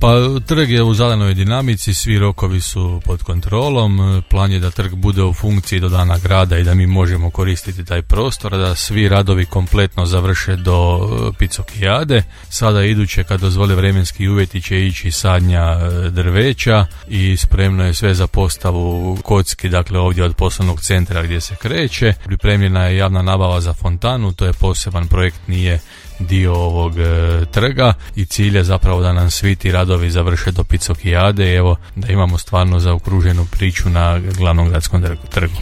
Pa trg je u zadanoj dinamici, svi rokovi su pod kontrolom, plan je da trg bude u funkciji do dana grada i da mi možemo koristiti taj prostor, da svi radovi kompletno završe do Picokijade. Sada iduće, kad dozvole vremenski uvjeti, će ići sadnja drveća i spremno je sve za postavu kocki, dakle ovdje od poslovnog centra gdje se kreće. Pripremljena je javna nabava za fontanu, to je poseban projekt, nije dio ovog trga i cilj je zapravo da nam svi ti radovi završe do Picokijade i evo da imamo stvarno zaokruženu priču na glavnom gradskom trgu.